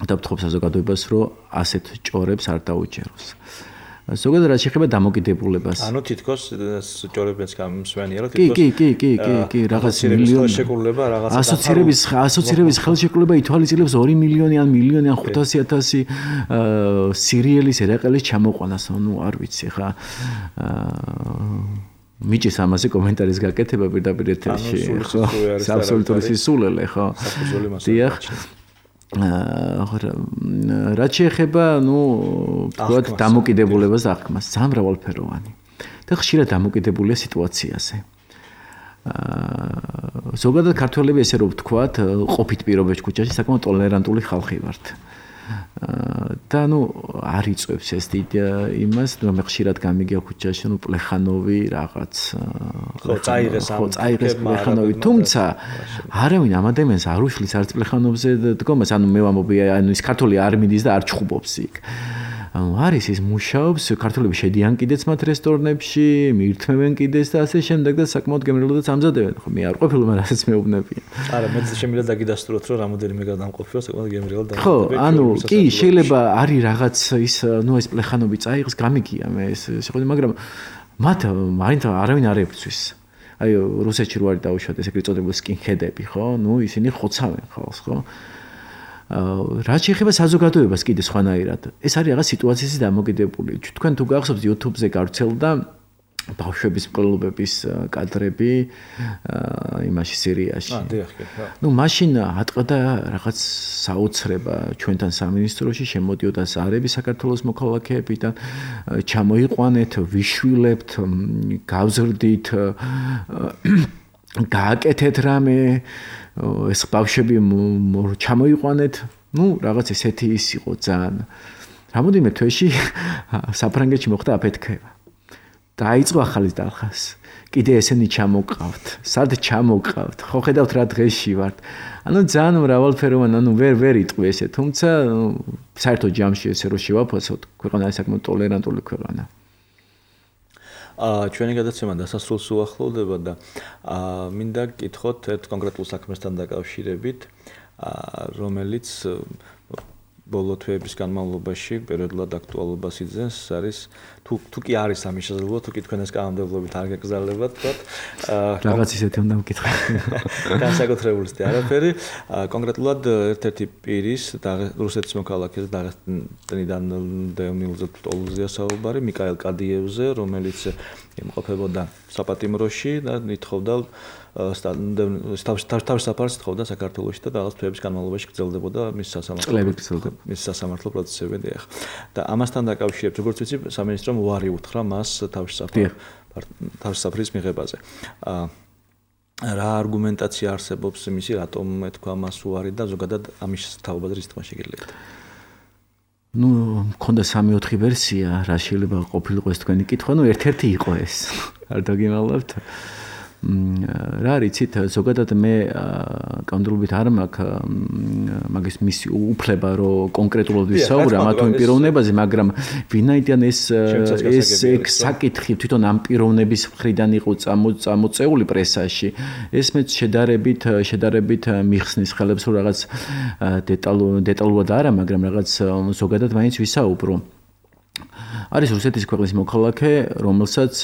დავთხოვ საზოგადოებას, რომ ასეთ ჭორებს არ დაუჯეროს. ზოგადად რაც შეეხება დამოკიდებულებას. ანუ თითქოს ჭორებიც გამსვენიერად თითქოს კი, კი, კი, კი, კი, რაღაც მილიონი შეკრულება, რაღაც ასოცირების ასოცირების ხელშეკრულება ითვალისწინებს ორი მილიონი ან მილიონი ან ხუთასი ათასი სერიალის ერაყელის ჩამოყვანას, ანუ არ ვიცი ხა მიჭის ამაზე კომენტარის გაკეთება პირდაპირ ეთერში, ხო? აბსოლუტური სისულელე, ხო? დიახ. რაც შეეხება, ნუ, ვთქვათ, დამოკიდებულებას და აღქმას, ძალიან მრავალფეროვანი. და ხშირად დამოკიდებულია სიტუაციაზე. ზოგადად ქართველები ესე რომ ვთქვათ, ყოფით პირობებში ქუჩაში საკმაოდ ტოლერანტული ხალხი ვართ. და ნუ არ იწევს ეს იმას, რომ მე ხშირად გამიგია ქუჩაში, ნუ პლეხანოვი რაღაც ხო წაიღეს ამ ხო წაიღეს პლეხანოვი, თუმცა არავინ ამ ადამიანს არ უშლის არც პლეხანოვზე დგომას, ანუ მე ვამბობი, ანუ ის ქართული არ მიდის და არ ჩხუბობს იქ. ანუ არის ის მუშაობს, ქართველები შედიან კიდეც მათ რესტორნებში, მიირთმევენ კიდეც და ასე შემდეგ და საკმაოდ გემრიელადაც ამზადებენ. ხო, მე არ ყოფილი, მაგრამ რასაც მეუბნებიან. არა, მე შემიძლია დაგიდასტუროთ, რომ რამოდენიმე გადამყოფია, საკმაოდ გემრიელად დამზადებ. ხო, ანუ კი, შეიძლება არის რაღაც ის, ნუ ეს პლეხანოვი წაიღეს, გამიგია მე ეს შეხედე, მაგრამ მათ მაინც არავინ არ ეფცვის. აი, რუსეთში რო არის დაუშვათ ეს ეგრეთ წოდებული სკინჰედები, ხო? ნუ ისინი ხოცავენ ხალხს, ხო? რაც შეეხება საზოგადოებას კიდე სხვანაირად. ეს არის რაღაც სიტუაციის დამოკიდებული. თქვენ თუ გახსოვთ YouTube-ზე გავრცელდა ბავშვების მკვლელობების კადრები იმაში სირიაში. აა, დიახ, ხო. ნუ მაშინ ატყდა რაღაც საოცრება ჩვენთან სამინისტროში, შემოდიოდა ზარები საქართველოს მოქალაქეებიდან, ჩამოიყვანეთ, ვიშვილებთ, გავზრდით, გააკეთეთ რამე ეს ბავშვები ჩამოიყვანეთ, ну, რაღაც ესეთი ის იყო ძალიან. რამოდენიმე თვეში საფრანგეთში მოხდა აფეთქება. დაიწყო ახალი დახას. კიდე ესენი ჩამოყავთ. სად ჩამოყავთ? ხო ხედავთ რა დღეში ვართ. ანუ ძალიან მრავალფეროვანი, ანუ ვერ ვერ იტყვი ესე, თუმცა საერთოდ ჯამში ესე რო შევაფასოთ, ქვეყანა ის საკმაოდ ტოლერანტული ქვეყანა. აა ჩვენი გადაცემა დასასრულს უახლოვდება და აა მინდა გკითხოთ ერთ კონკრეტულ საქმესთან დაკავშირებით, აა რომელიც ბოლო თვეების განმავლობაში პერიოდულად აქტუალობას იძენს, არის თუ თუ კი არის ამის შესაძლებლობა, თუ კი თქვენ ეს კანონმდებლობით არ გაგზავნებათ, თქოთ, აა რაღაც ისეთი უნდა მკითხოთ. განსაკუთრებული სტი არაფერი, კონკრეტულად ერთ-ერთი პირის რუსეთის მოქალაქეს დაღესტნიდან დევნილზე ტოლუზია საუბარი, მიკაელ კადიევზე, რომელიც იმყოფებოდა საპატიმროში და ითხოვდა თავის საფარს თხოვდა საქართველოში და რაღაც თვეების განმავლობაში გრძელდებოდა მის სასამართლო მის სასამართლო პროცესები დიახ. და ამასთან დაკავშირებით, როგორც ვიცი, სამინისტრომ უარი უთხრა მას თავის თავის საფრის მიღებაზე. რა არგუმენტაცია არსებობს იმისი, რატომ ეთქვა მას უარი და ზოგადად ამის თაობაზე რის თქმა შეგიძლიათ? ну, მქონდა სამი-ოთხი ვერსია, რა შეიძლება ყოფილიყო ეს თქვენი კითხვა, ну, ერთ-ერთი იყო ეს. არ დაგიმალავთ. რა რიცით, ზოგადად მე კანონმდებლობით არ მაქვს მაგის მისი უფლება, რომ კონკრეტულად ვისაუბრა მათ იმ პიროვნებაზე, მაგრამ ვინაიდან ეს ეს საკითხი თვითონ ამ პიროვნების მხრიდან იყო წამოწეული პრესაში, ეს მეც შედარებით შედარებით მიხსნის ხელებს, რომ რაღაც დეტალურად არა, მაგრამ რაღაც ზოგადად მაინც ვისაუბრო. არის რუსეთის ქვეყნის მოქალაქე, რომელსაც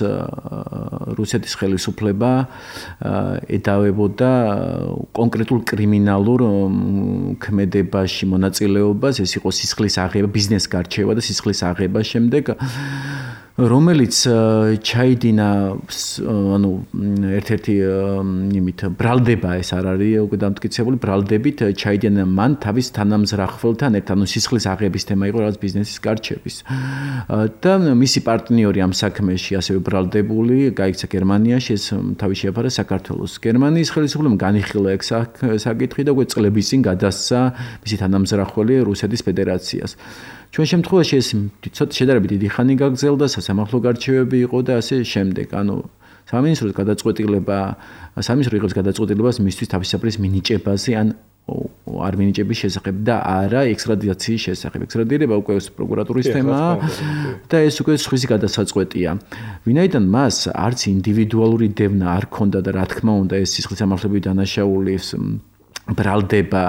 რუსეთის ხელისუფლება ედავებოდა კონკრეტულ კრიმინალურ ქმედებაში მონაწილეობას, ეს იყო სისხლის აღება, ბიზნეს გარჩევა და სისხლის აღება შემდეგ, რომელიც ჩაიდინა, ანუ ერთ-ერთი იმით ბრალდება ეს არ არის უკვე დამტკიცებული, ბრალდებით ჩაიდინა მან თავის თანამზრახველთან ერთად, ანუ სისხლის აღების თემა იყო რაღაც ბიზნესის გარჩევის. და მისი პარტნიორი ამ საქმეში ასევე ბრალდებული, გაიქცა გერმანიაში, ეს თავი შეაფარა საქართველოს. გერმანიის ხელისუფლებამ განიხილა ეგ საკითხი და უკვე წლების წინ გადასცა მისი თანამზრახველი რუსეთის ფედერაციას. ჩვენ შემთხვევაში ეს ცოტა შედარებით დიდი ხანი გაგრძელდა, სასამართლო გარჩევები იყო და ასე შემდეგ. ანუ სამინისტროს გადაწყვეტილება, სამინისტრო იღებს გადაწყვეტილებას მისთვის თავისუფლის მინიჭებაზე ან არ მინიჭების შესახებ და არა ექსტრადიციის შესახებ. ექსტრადირება უკვე პროკურატურის თემაა და ეს უკვე სხვისი გადასაწყვეტია. ვინაიდან მას არც ინდივიდუალური დევნა არ ქონდა და რა თქმა უნდა ეს სისხლის სამართლებრივი დანაშაულის ბრალდება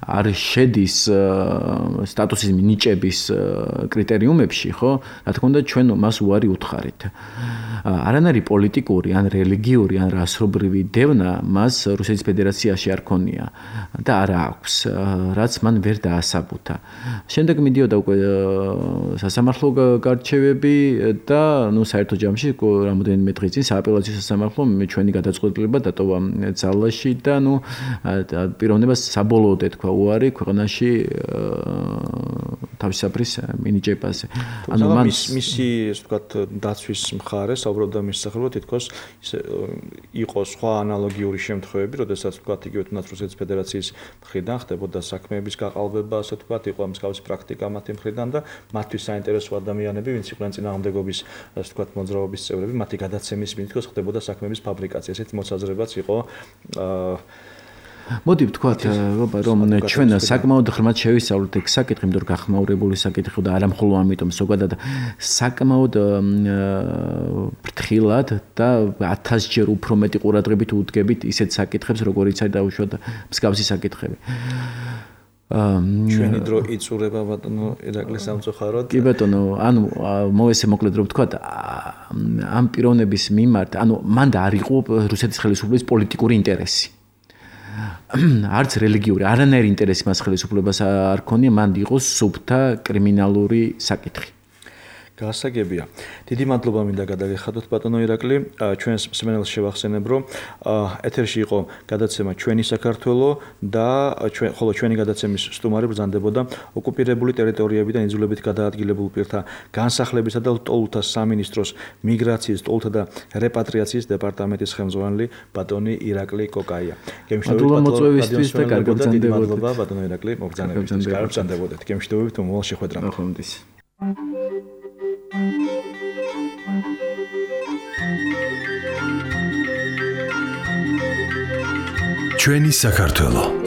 არ შედის სტატუსის მინიჭების კრიტერიუმებში, ხო? რა თქმა უნდა, ჩვენ მას უარი უთხარით. არანაირი პოლიტიკური, ან რელიგიური, ან რასობრივი დევნა მას რუსეთის ფედერაციაში არ ქონია და არ აქვს, რაც მან ვერ დაასაბუთა. შემდეგ მიდიოდა უკვე სასამართლო გარჩევები და ნუ საერთო ჯამში რამოდენიმე დღის წინ სააპელაციო სასამართლომ ჩვენი გადაწყვეტილება დატოვა ძალაში და ნუ პიროვნებას საბოლოოდ ეთქვა უარი ქვეყანაში თავისებრის მინიჭებაზე. ანუ მან მისი ესე ვთქვათ დაცვის მხარე საუბრობდა მის სახელით თითქოს იყო სხვა ანალოგიური შემთხვევები, როდესაც ვთქვათ იგივე თუნდაც რუსეთის ფედერაციის მხრიდან ხდებოდა საქმეების გაყალბება, ასე ვთქვათ, იყო მსგავსი პრაქტიკა მათი მხრიდან და მათთვის საინტერესო ადამიანები, ვინც იყვნენ წინააღმდეგობის ასე ვთქვათ მოძრაობის წევრები, მათი გადაცემის მიზნით თითქოს ხდებოდა საქმეების ფაბრიკაცია. ესეთი მოსაზრებაც იყო აა მოდი ვთქვათ, რომ ჩვენ საკმაოდ ღრმად შევისწავლეთ ეგ საკითხი, იმიტომ რომ გახმაურებული საკითხი და არა მხოლოდ ამიტომ, ზოგადად საკმაოდ ფრთხილად და ათასჯერ უფრო მეტი ყურადღებით უდგებით ისეთ საკითხებს, როგორიც არის დაუშვათ მსგავსი საკითხები. ჩვენი დრო იწურება ბატონო ირაკლი სამწუხაროდ. კი ბატონო, ანუ მოესე მოკლედ რომ ვთქვათ, ამ პიროვნების მიმართ, ანუ მან და არ იყო რუსეთის ხელისუფლების პოლიტიკური ინტერესი. არც რელიგიური, არანაირი ინტერესი მას ხელისუფლებას არ ქონია, მან იყო სუფთა კრიმინალური საკითხი. გასაგებია. დიდი მადლობა მინდა გადაგეხადოთ ბატონო ირაკლი. ჩვენს მსმენელს შევახსენებ, რომ ეთერში იყო გადაცემა ჩვენი საქართველო და ხოლო ჩვენი გადაცემის სტუმარი ბრძანდებოდა ოკუპირებული ტერიტორიებიდან იძულებით გადაადგილებულ პირთა განსახლებისა და ლტოლთა სამინისტროს მიგრაციის, ლტოლთა და რეპატრიაციის დეპარტამენტის ხელმძღვანელი ბატონი ირაკლი კოკაია. გემშვიდობით მოწვევისთვის და კარგ ბრძანდებოდეთ. მადლობა ბატონო ირაკლი მოგზაურობისთვის. კარგ ბრძანდებოდეთ. გემშვიდობით მომავალ შეხვედრამდე. ახლა ჩვენი საქართველო